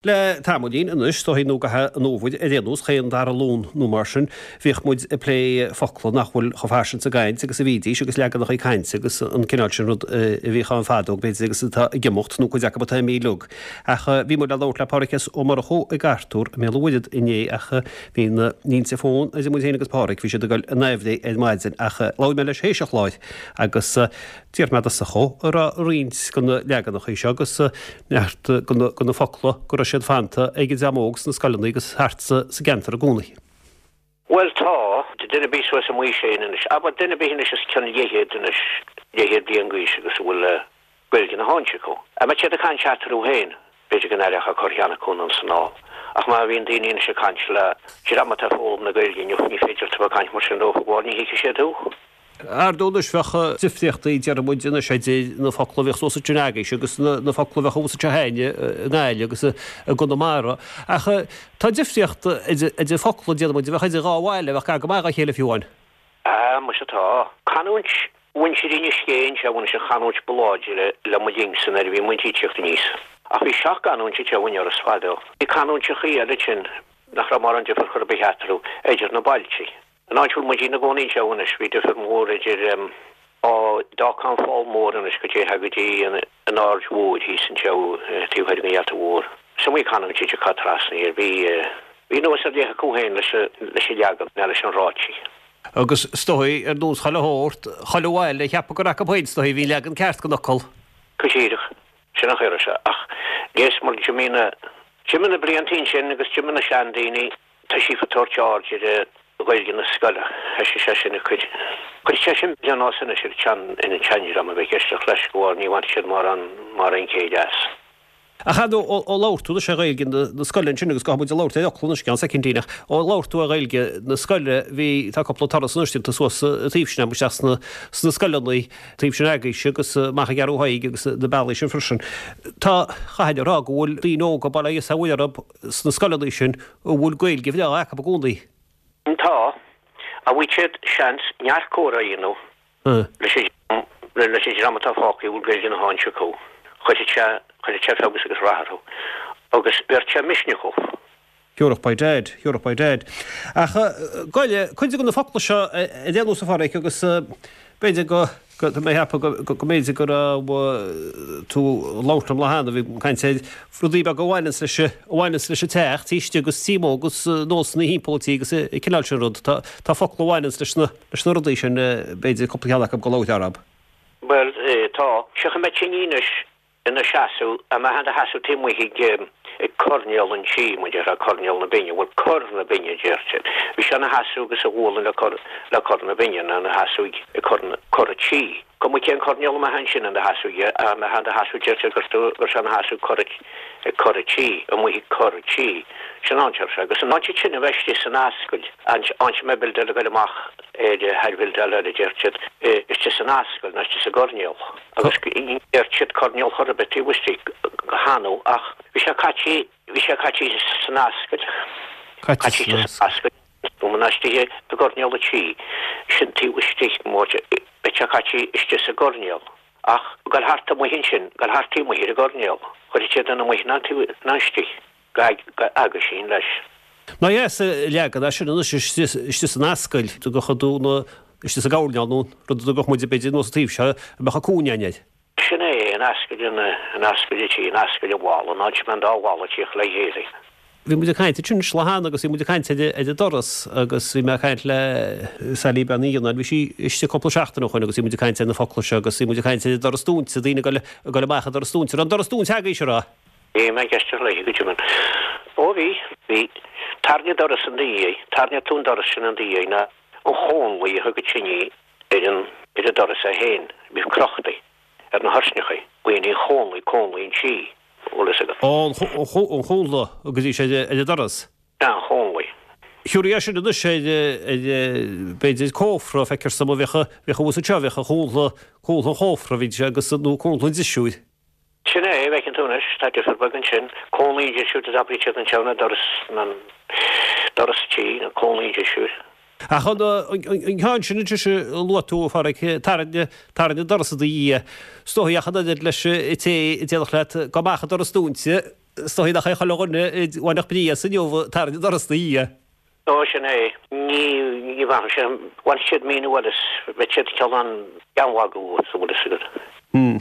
Le tamaillín anois, is dóigh, nó gach an fhómhair ar aon nós, chaon dara Luan nó mar sin, bhíodh muid ag plé focla nach bhfuil chomh fairsing sa gcaint agus a bhídís agus leaganacha cainte agus an cineál sin rud a bhíodh ann fadó, b'fhéidir, agus atá ag imeacht, nó cuid acu atá imithe uilig. Ach bhí muid le labhairt le Pádhraic S. Ó Murchú i gCartúr i mBéal an Mhuirthead inné ach bhí na línte fóin idir muid féin agus Pádhraic, bhí siad ag dul in aimhréidh ar maidin ach labhair mé leis théis an chláir agus D'iarr mé dó an raibh roinnt de na leaganacha seo agus neart de na focla go raibh siad fanta ag an dream óg sna scoileanna agus thart sa gceantar i gcónaí. Bhuel tá, duine ar bith suas i m'aois féin anois, abair duine ar bith anois os cionn leathchéad anois, leathchéad bliain d'aois agus a bhfuil Gaeilge na háinte acu. A mbeidh siad ag caint eatarthu féin, b'fhéidir go n-aireofá corrcheann acu anonn 's anall. Ach má bhíonn daoine anois ag caint le dream atá ag foghlaim na Gaeilge inniu, ní féidir leat a bheith ag caint mar sin leo, bhuel ní thuigfidh siad thú. Ar ndóigh anois bheadh difríochtaí, déarfaidh muid anois, idir na focla a bhíodh suas ansin agaibhse agus na focla a bheadh thuas anseo againne i nGaillimh agus i gConamara. Ach tá difríocht idir focla, déarfaidh muid, a bheadh idir dhá bhaile, a bheadh gar go maith dá chéile fiú amháin. Á, muise tá. Canúint mhuintir Inis Géidh anseo anois an chanúint ba láidre le mo linnsa nuair a bhí muid ag tíocht aníos. Ach bhí seach-gcanúint anseo in Iorras fadó. Bhí canúinteachaí eile ansin nach raibh mórán difir chor ar bith eatarthu, idir na bailtí. An áit a bhfuil muid ina gcónaí anseo anois, bhí difir mór idir, ó d'fhágfá an Fál Mór anois go dtéifeá go dtí an Aird Mhóir thíos anseo taobh thoir den Gheata Mhór. Is iomaí canúint a thiocfá trasna air. Bhí, bhí nós ar leith acu féin leis, leis an leagan, ná leis an ráití. Agus is dóigh, ar nós chuile shórt, chuile bhaile ag ceapadh gur acu féin is dóigh a bhí an leagan ceart den fhocal. Go díreach. Sin an chaoi a raibh sé. Ach léas mar d'imigh na, d'imigh na blianta ansin agus d'imigh na seandaoine, Tá siad ag tabhairt aird ar Ghaeilge na scoile. Thoisigh sé sin ag cur. Chuir sé sin pionós anois ar an tseandream a bheith ag éisteacht leis go bharr ní bhainfidh siad mórán mórán céille as. Ach ar ndóigh, ó labhair tú anois ar Ghaeilge na scoile ansin agus gabhfaidh muid ag labhairt ar fhocla anois i gceann soicindín ach ó labhair tú ar Ghaeilge na scoile bhí, tá cúpla turas anois déanta suas an taobh sin agam isteach sna, sna scoileanna taobh sin agaibhse agus amach i gCeathrú Thaidhg agus na bealaí sin freisin. Tá, chaithfinn a rá go bhfuil daoine óga, bail ó Dhia 's ó Mhuire orthu, sna scoileanna sin a bhfuil Gaeilge bhreá acu i gcónaí. Tá. A bhfuil siad seans neart comhrá a dhéanamh leis an leis an dream atá fágtha a bhfuil Gaeilge na háinte acu. Chuirfeadh sé chuirfeadh sé feabhas agus rath orthu. Agus bheir sé misneach dhóibh. Thiúrfadh by dad, thiúrfadh by dad. Ach goile, cuid de na focla seo ar aon nós a Pháraic agus b'fhéidir go Tá mé ag ceapadh go mb'fhéidir go raibh tú ag labhairt liom lá cheana, bhí caint ar rudaí beaga a bhaineanns leis, a bhaineanns leis an teach, tí istigh agus tí amuigh agus nósanna thimpeall an tí agus an cineál sin rud. Tá, tá focla a bhaineanns leis na, leis na rudaí sin, b'fhéidir cúpla ceann acu go labhairt orthub. Bhuel, tá. Seo go mbeadh tine anois ina seasamh, a mbeadh ina sheasamh taobh amuigh ag, ag coirnéal an tí, mar a déarfá, coirnéal na binne, bhuel, cor na binne a deir siad. Bhí sé ina sheasamh agus a ghualainn le cor, le cor na binne, nó ina sheasamh ag, ag cor na, cor an tí. Cuma cén coirnéal a mbeadh ansin ina sheasamh, a mbeadh ina sheasamh, deir siad gur, gur sé ina sheasamh cor, ag cor an tí, amuigh ag cor an tí. Sin an áit a raibh sé. Agus an áit sin a bheith istigh san ascaill, an áit a mbeadh bildeáil ag goil amach ar, thar bhildeáil eile, deir siad, istigh san ascaill, nó istigh sa gcoirnéal. Agus ní deir siad coirnéal chor ar bith taobh istigh go hannamh ach bhí sé caití, bhí sé caití san ascaill, caití san ascaill, nó muna istigh i gcoirnéal an tí, sin taobh istigh, beidh sé caití istigh sa gcoirnéal. Ach goil thart amuigh ansin, goil thart taobh amuigh ar an gcoirnéal, chuirfeadh siad an amuigh ná taobh ná istigh, go aguisín leis. Ná dheas a leagan é sin anois istigh san ascaill, go dtugadh tú na, istigh sa gcoirnéal nó rud a dtugadh muid b'fhéidir anuas an taobh seo a mbeadh an cúinne againn air. Sin é, an ascaill, an ascaill an tí, an ascaill an bhalla, an áit a mbeadh an dá bhalla ag tíocht le chéile. Bhí muid ag caint ansin lá cheana agus bhí muid ag caint ar an doras agus bhí mé ag caint le Sally Bean Uí Ghiolláin, bhí sí istigh cúpla seachtain ó shoin agus bhí muid ag caint ar na focla seo agus bhí muid ag caint ar an doras dúinte, daoine ag dul amach an doras dúinte. An raibh an doras dúinte agaibhse, an raibh? Bhí mé ag éisteacht léi go deimhin. Ó bhí, bhí. Tairne doras in do dhiaidh, tairne tú an doras sin in do dhiaidh ná an chónlaí a thug an tine ar an, ar an doras é féin. Bhí crochtaí ar na thoirsneachaí. Glaonn an chónlaí, cónlaí an tí, bhfuil fhios agat. Ó, an chónla a gcuiridís ar an doras. An chónlaí. Thiúrfaí é sin anois ar, ar, b'fhéidir cófra, feictear dom a bheadh, bheadh abhus anseo, bheadh an chónla, cónla an chófra, bhí sé agus, nó cónla an drisiúir. Sin é, a bhfeiceann tú anois, tá difear beag ansin. Cónlaí an drisiúir a d'abraíodh siad anseo ná doras, ná doras tí, nó cónlaí an drisiúir. Ach an, an ceann sin anois a luaigh tú, a Pháraic, tarraing, tarraing an doras i do dhiaidh. Is dóigh ach an oiread leis an té a déarfadh leat, gabh amach an doras dúinte. Is dóigh nach é chuile dhuine a bhainfeadh brí as inniu tarraing an doras 'na dhiaidh. Ó, sin é. Ní, ní bhainfeadh sé, bhainfeadh siad míniú eile as, bheadh siad cineál ag magadh uait, an bhfuil fhios agat.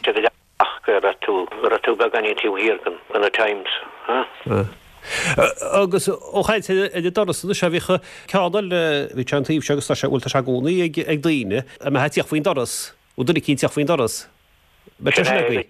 Siad ag ach go raibh tú, go raibh tú beagáinín taobh thiar den, de na Times, huh? Agus ó chaint ar an doras anois, bhíodh ceann eile, bhí sé an taobh seo agus tá sé, bhuel tá sé i gcónaí ag, ag daoine, a mbeifeá ag tíocht faoin doras, bhfuil duine eicínt ag tíocht faoin doras. Mbeadh sé sin agaibh?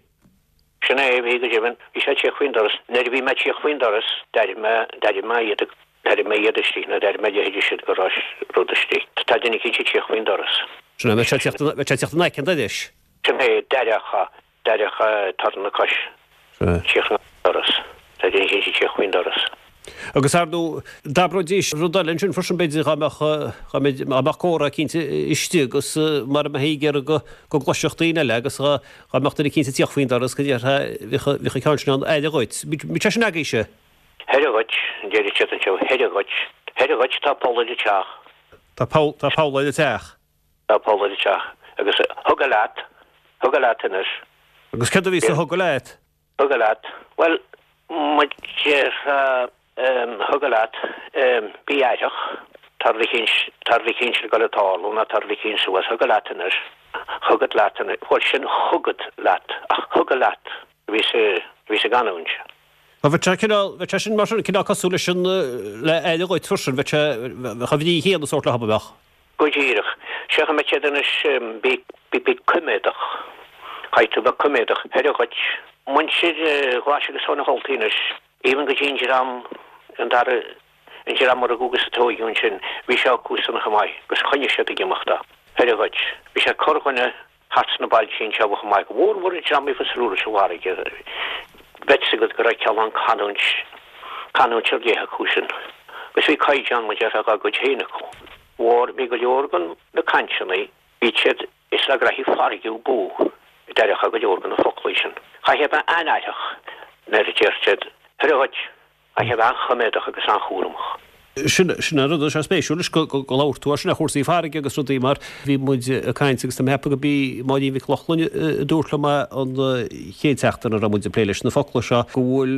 Sin é, bhí go deimhin. Bhí sé ag tíocht faoin doras. Nuair a bhí mé ag tíocht faoin doras, d'airigh mé, d'airigh mé iad, d'airigh mé iad istigh, nó d'airigh mé a leithéide sin go raibh rud istigh. Tá duine eicínt ag tíocht faoin doras. Sin é, bheadh sé ag tíocht, bheadh sé ag tíocht in aice an dorais. Sin é, d'aireofá, d'aireofá torann na coise. Sea. Ag tíocht an doras. Tá duine eicínt ag tíocht faoin doras. Agus ar ndóigh, d'abróidís rud eile ansin freisin, b'fhéidir, dá mbeadh, dá mbeadh, dá mbeadh comhrá eicínt istigh agus mara mbeifí ag iarraidh go, go gcloisfeadh daoine eile agus dá, dá mbeadh duine eicínt ag tíocht faoin doras go ndéarfá, bheadh, bheadh an ceann sin ann, aire dhuit. Bíonn sé sin agaibhse? Aire dhuit, a deir siad anseo, aire dhuit. Aire dhuit, tá poll ar an teach. Tá poll, tá poll ar an teach. Tá poll ar an teach. Agus thug leat, thug leat anois. Agus céard a bhí sa thug leat? Thug leat. Bhuel, mar a déarfá, thug leat, bí aireach, tá rud eicínt, tá rud eicínt ag dul ag tarlú nó tá rud eicínt suas, thug leat anois, chugat leat anois, bhuel sin chugat leat, ach thug leat a bhí sa, a bhí sa gcanúint. Bhuel, bheadh sé cineál, bheadh sé sin mar sin, cineál cosúil leis an, le aire dhuit freisin, bheadh sé, bheadh an bhrí chéanna sórt leob, bheadh. Go díreach. Sea, mbeadh siad anois, bí, bí, bí coiméadach. Caithfidh tú bheith coiméadach. Aire dhuit. Muintir Ghlais agus Tóin an Choltaí anois, even go dtí an dream, an dara, an dream a rugadh agus a tóigeadh ansin, bhí sé acu san chomh maith agus choinnigh siad ag imeacht é. Aire dhuit. Bhí sé corrdhuine thart sna bailtí anseo chomh maith, go mór mhór an dream a bhí fós leis an bhfarraige. Bheadh fhios agat go raibh cineál canúint, canúint ar leith acu sin. Agus bhí caighdeán, mar a déarfá, dá gcuid féin acu. Mhór, bhí go leor den na cainteanna, bhí siad, is le graithí farraige ab fhiú, a d'aireofá go leor de na foclaí sin. Chaithfeá a bheith an-aireach nuair a deir siad, Aire dhuit! Chaithfeá a bheith an-choiméadach agus an-chúramach. Sin, sin an rud atá spéisiúil leis, go, go, go labhair tú air sin, ar chúrsaí farraige agus rudaí mar bhí muid ag caint agus tá mé ag ceapadh go b'í Máirín Mhic Lochlainn a dúirt liom é an chéad tseachtain a raibh muid ag plé leis na focla seo, go bhfuil,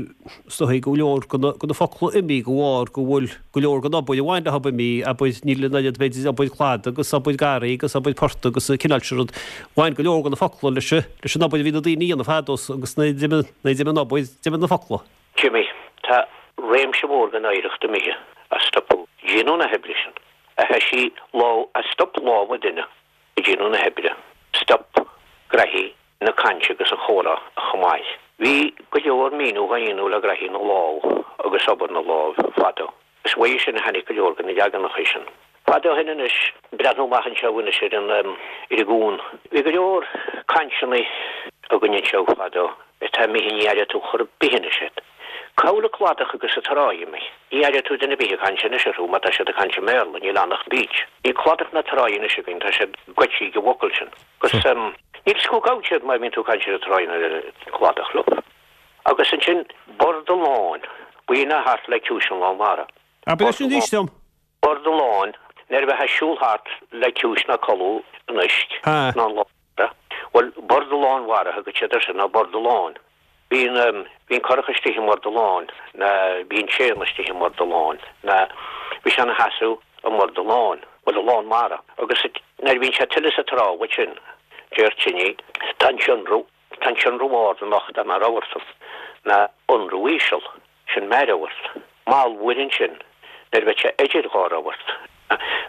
is dóigh go leor de na, de na focla imithe de bharr go bhfuil go leor den obair a bhain leo imithe, abair, níl an oiread b'fhéidir obair cladaigh agus obair garraí agus obair portaigh agus an cineál sin rud, bhain go leor de na focla leis, leis an obair a bhí na daoine a dhéanamh fadó agus nuair a d'imigh, nuair a d'imigh an obair, d'imigh na focla. D'imigh. Tá réimse mór den oidhreacht imithe a stopadh déanamh na hoibre sin, a thoisigh lámh, a stop lámha duine ag déanamh na hoibre. Stop graithí na cainte agus an chomhrá chomh maith. Bhí go leor míniú dhá dhéanamh le graithí na lámh agus obair na lámh fadó. Is uaidh sin a tháinig go leor de na leaganacha sin. Fada ó shin anois, breathnú amach anseo anois ar an, ar an gcuan. Bhí go leor cainteanna againn anseo fadó atá imithe, ní aireoidh tú chor ar bith anois iad. Cá bhfuil an cladach agus an trá imithe. Ní aireoidh tú duine ar bith ag caint anois orthu mar tá siad ag caint i mBéarla, níl ann ach beach. Níl cladach ná trá anois againn, tá siad goidte ag an bhfocal sin. Agus níl fhios cá gabhann siad má bhíonn tú ag caint ar an trá nó ar an gcladach leo. Agus ansin Bord an Láin, b'in é thart le Ciumhais an Lán Mhara. Abair é sin arís dom. Bord an Láin, nuair a bheifeá ag siúl thart le ciumhais ná codladh an uisce Ha. ná an Lán Mhara. Bhuel, Bord an Lán Mhara a thugadh siad air sin, ná Bord an Láin. Bíonn, bíonn curach istigh i mBord an Láin, ná bíonn séan istigh i mBord an Láin, ná bhí sé ina sheasamh i mBord an Láin, bhuel, an Lán Mara. Agus nuair a bhíonn sé tuile sa trá uait sin, deir Tinny, tá an sionradh, Tá an sionradh ard anocht ar mo rabharta, ná ionradh íseal, sin mear-rabhart. Mallmhuir ansin, nuair a bheadh sé idir dhá rabhart.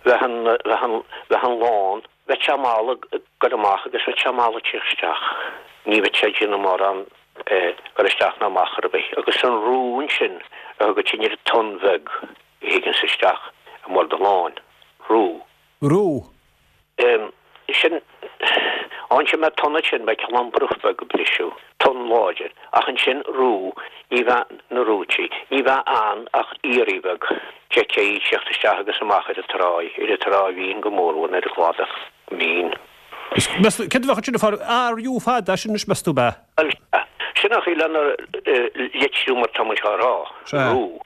Bheadh an, bheadh an, bheadh an lán, bheadh sé mall ag dul amach agus bheadh sé mall ag tíocht isteach. Ní bheadh sé ag déanamh mórán dul isteach ná amach ar bith. Agus an rú ansin a thugadh sin ar an tonn bheag a thigeanns isteach i mbord an láin. Rú. Rú. Sin, ansin mbeadh tonn ansin, bheadh cineál bruth beag ag briseadh, tonn láidir, ach ansin rú, ní bheadh na rúití, ní bheadh ann ach iarraidh bheag, d'fheicfeá í ag tíocht isteach agus amach ar an tráigh, ar an trá mhín go mórmhór, nó ar an gcladach mín. Meas tú, céard a bheadh ansin ag fáil, RU fada sin anois meas tú, ab ea? Bhuel, sea, sin an chaoi lena litriú mar tá muid á rá, Sea. rú.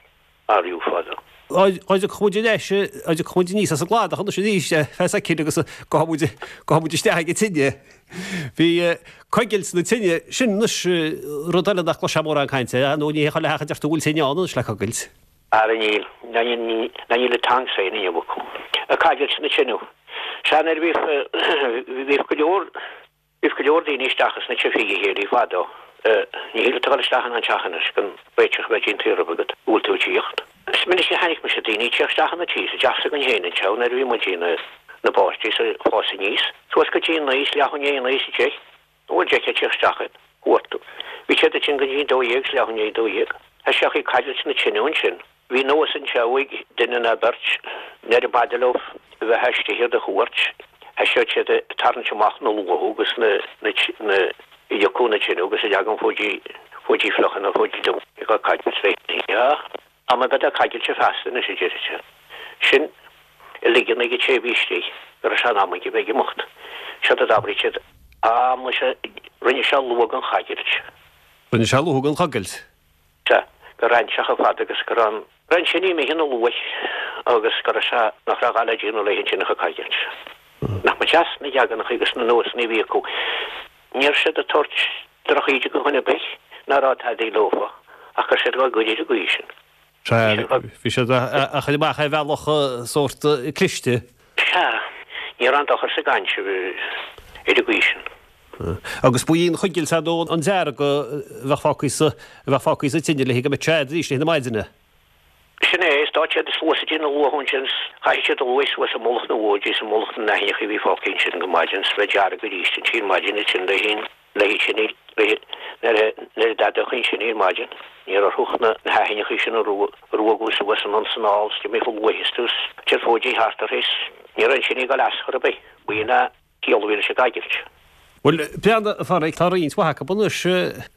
RU fada. Dá dtiocfadh muid ar ais, dá dtiocfadh muid aníos as an gcladach anois arís ar feadh soicind agus gabhfaidh muid, gabhfaidh muid isteach ag an tine. Bhí coigilt na tine, sin anois rud eile nach gcloisfeá mórán cainte air, nó ní hé chuile theach a deir tú go bhfuil tine ann anois le coigilt. Ara níl, ná níl, ná níl an tongs féin inniu acu. Ag coigilt na tineadh. Sea, nuair a bhíodh, bhíodh go leor, Bhíodh go leor daoine isteach ins na tithe a chéile fadó. Ní thig leat a dhul isteach in aon teach anois gan réiteach a bheith déanta roimhe agat go bhfuil tú ag tíocht. Is minic a chonaic mise daoine ag tíocht isteach ina tí sa dteach s'againn féin anseo nuair a bhí muid ina na bpáistí is ag fás aníos. Suas go dtí a naoi is leath i ndiaidh a naoi is a deich. An bhfuil deich ag tíocht isteach id chuartú. Bhí siad ansin go dtí an 12 is leath i ndiaidh a 12. Thoiseochaí caidreamh na tineadh ansin. Bhí nós anseo ag duine ná beirt nuair a b'fhada leo a bheith istigh ar do chuairt, thoiseodh siad ag tarraingt amach na luathadh agus na na ag iocadh na tineadh agus ag leagan fóidí fóidí fliucha nó fóidí dubha ag caidreamh léi. Am a bheith ag caidreamh feasta anois a deir siad. Sin a ligean ag an té a bhí istigh go raibh sé in am aige a bheith ag imeacht. Seod a d'abraigh siad. Am leis a rinne sé luath den choigilt. Rinne sé luath den choigilt. Sea, go raibh an teach chomh fada agus go raibh an. Raibh an tine imithe ina luaith agus go raibh sé, nach raibh a dhath le déanamh léi ansin ach an choigilt. Nach mba deas na leaganacha agus na nósanna a bhí acu. Ní raibh siad ag tabhairt drochíde do dhuine ar bith ná raibh tadaí leofa ach go raibh siad á gcur ar an gcaoi sin. Sea, bhí siad á chur amach ar bhealach sórt cliste. Sea, ní raibh aon dochar sa gcaint ar an gcaoi sin. Agus ba í an choigilt ar ndóigh an dearg a bheadh fágtha sa, a bheadh fágtha sa tine léi go mbeadh sé arís léi na maidine. Sin é, is d'fhág siad suas i dtí na luath ansin, chaith siad an luaith suas i mullach na bhfóidí is i mullach na n-aibhneacha a bhí fágtha ansin go maidin, is bheadh dearg arís ansin maidin ansin léi, léi sin, léi, nuair a, nuair a d'fheadódh ansin ar maidin, ní raibh orthu ach na haibhneacha sin a ruagadh suas anonn 's anall 's d'imigh an luaith astu 's chuir fóidí thart uirthi 's ní raibh an tine ag dul as chor ar bith. B'in a chiall a bhí leis an gcoigilt. Bhuel, breathnaigh, a Phádraig, tá roinnt mhaith acu anois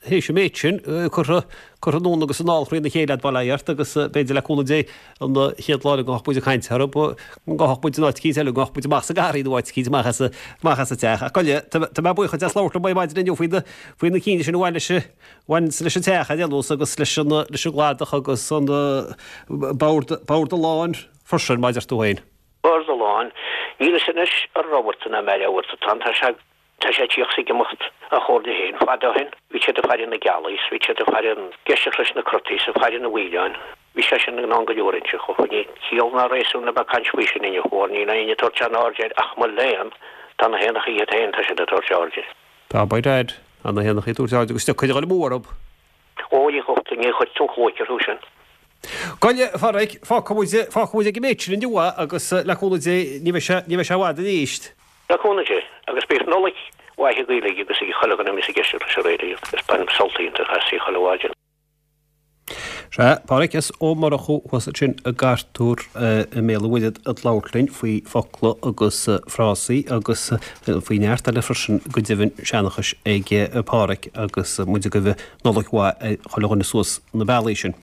théis an méid sin curtha, curtha anonn agus anall thrína chéile a'd, bail ó Dhia ort, agus b'fhéidir le cúnamh Dé an chéad lá eile go ngabhfadh muid ag caint orthu, go ngabhfadh muid in áit eicínt eile, go ngabhfadh muid amach sa ngarraí nó áit eicínt amach as, amach as an teach. Ach gabh i leith, tá, tá mé buíoch duit as labhairt liom ar maidin inniu faoi na, faoi na cinn sin a bhain leis, bhain leis an teach ar aon nós agus leis an, leis an gcladach agus an bord, bord an láin freisin, mar a deir tú féin. Bord an láin. Níl fhios anois an rabharta ná mear-rabharta atá ann. Tá sé, tá sé ag tíocht 's ag imeacht a chomhairle féin. Fada ó shin bhí siad ag faire na gealaí 's bhí siad ag faire an éisteacht leis na crotaí 's ag faire na bhfaoileáin. Bhí sé sin ann go leor anseo. Ach níl ciall ná réasún le bheith ag caint faoi sin inniu óir níl éinne ag tabhairt aon aird air ach mo léan, tá na héanachaí iad féin, tá siad ag tabhairt aird air. Tá, by dad, tá na héanachaí ag tabhairt aird agus tiocfaidh a dhul amú orthu. Ó, ní chuirtear, ní chuirtear an chlóic orthu sin. Gabh i leith, a Phádraig, fágfaidh muid, fágfaidh muid ag an méid sin inniu é agus le cúnamh Dé ní bheidh sé, ní bheidh sé i bhfad arís. Le cúnamh Dé, agus bíodh Nollaig mhaith agaibh uilig agus ag chuile dhuine a bhíos ag éisteacht leis an raidió agus bainim sult iontach as chuile mhaidin. Sea, Pádraig S. Ó Murchú thuas ansin i gCartúr i mBéal an Mhuirthead ag labhairt linn faoi focla agus frásaí agus faoi neart eile freisin go deimhin seanchais ag Pádraig agus muid ag guí Nollaig mhaith ar chuile dhuine suas na bealaí sin.